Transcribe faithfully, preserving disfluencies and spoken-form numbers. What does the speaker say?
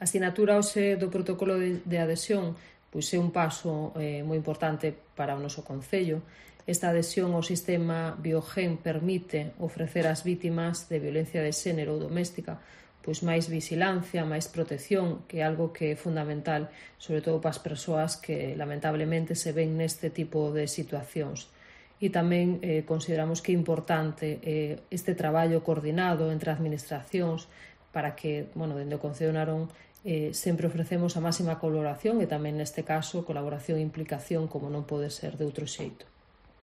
A sinatura hoxe do protocolo de, de adhesión pois é un paso eh, moi importante para o noso Concello. Esta adhesión ao sistema Biogen permite ofrecer ás vítimas de violencia de xénero ou doméstica pois máis vigilancia, máis protección, que é algo que é fundamental, sobre todo para as persoas que lamentablemente se ven neste tipo de situacións. E tamén eh, consideramos que é importante eh, este traballo coordinado entre administracións para que, bueno, dende o Concello de Narón eh, sempre ofrecemos a máxima colaboración e tamén neste caso colaboración e implicación como non pode ser de outro xeito.